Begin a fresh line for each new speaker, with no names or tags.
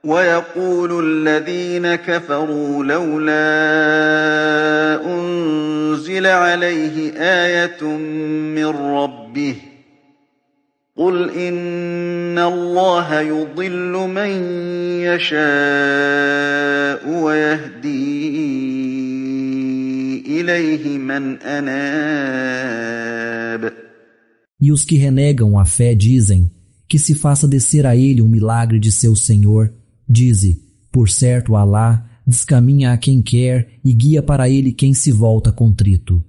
ويقول الذين كفروا لولا أنزل عليه آية من ربه قل إن الله يضل من يشاء ويهدي إليه من أناب.
E os que renegam a fé dizem que se faça descer a ele um milagre de seu Senhor. Dize, por certo Alá descaminha a quem quer e guia para ele quem se volta contrito.